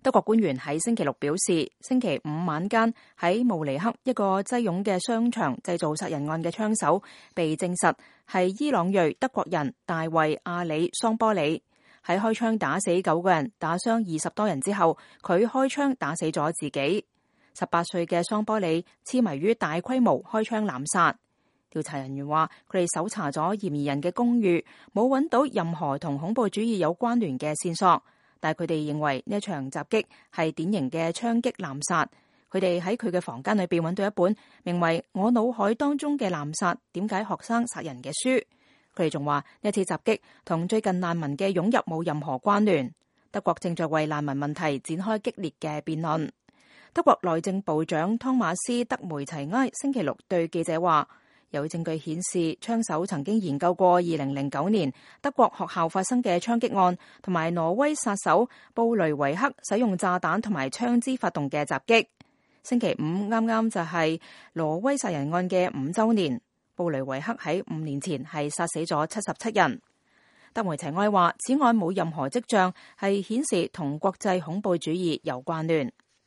德國官員喺星期六表示，星期五晚間喺慕尼黑一個擠擁嘅商場製造殺人案嘅槍手被證實係伊朗裔德國人大衛·阿里·桑波里。喺開槍打死9個人、打傷20多人之後，佢開槍打死咗自己。18歲嘅桑波里痴迷於大規模開槍濫殺。調查人員話，佢哋搜查咗嫌疑人嘅公寓，冇揾到任何同恐怖主義有關聯嘅線索。但佢哋認為呢一場襲擊係典型嘅槍擊濫殺。佢哋喺佢嘅房間裏邊揾到一本名為《我腦海當中嘅濫殺：點解學生殺人》嘅書。佢哋仲話呢一次襲擊同最近難民嘅湧入冇任何關聯。德國正在為難民問題展開激烈嘅辯論。德國內政部長湯馬斯·德梅齊埃星期六對記者話，有證據顯示槍手曾經研究過2009年德國學校發生嘅槍擊案，同埋挪威殺手布雷維克使用炸彈同埋槍支發動嘅襲擊。星期五啱啱就係挪威殺人案嘅5週年。布雷維克喺5年前係殺死咗77人。德梅齊埃話，此案冇任何跡象係顯示同國際恐怖主義有關聯。